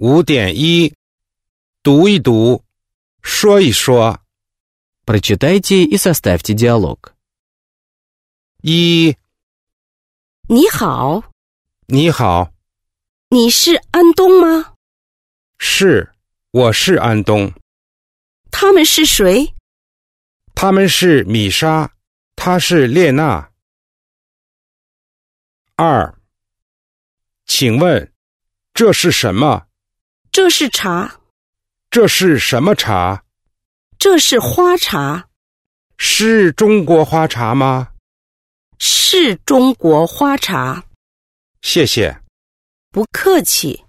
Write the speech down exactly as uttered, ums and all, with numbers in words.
五点一，读一读，说一说。Прочитайте и составьте диалог. 一，你好，你好，你是安东吗？是，我是安东。他们是谁？他们是米莎，她是列娜。二，请问，这是什么？这是茶，这是什么茶？这是花茶，是中国花茶吗？是中国花茶。谢谢。不客气。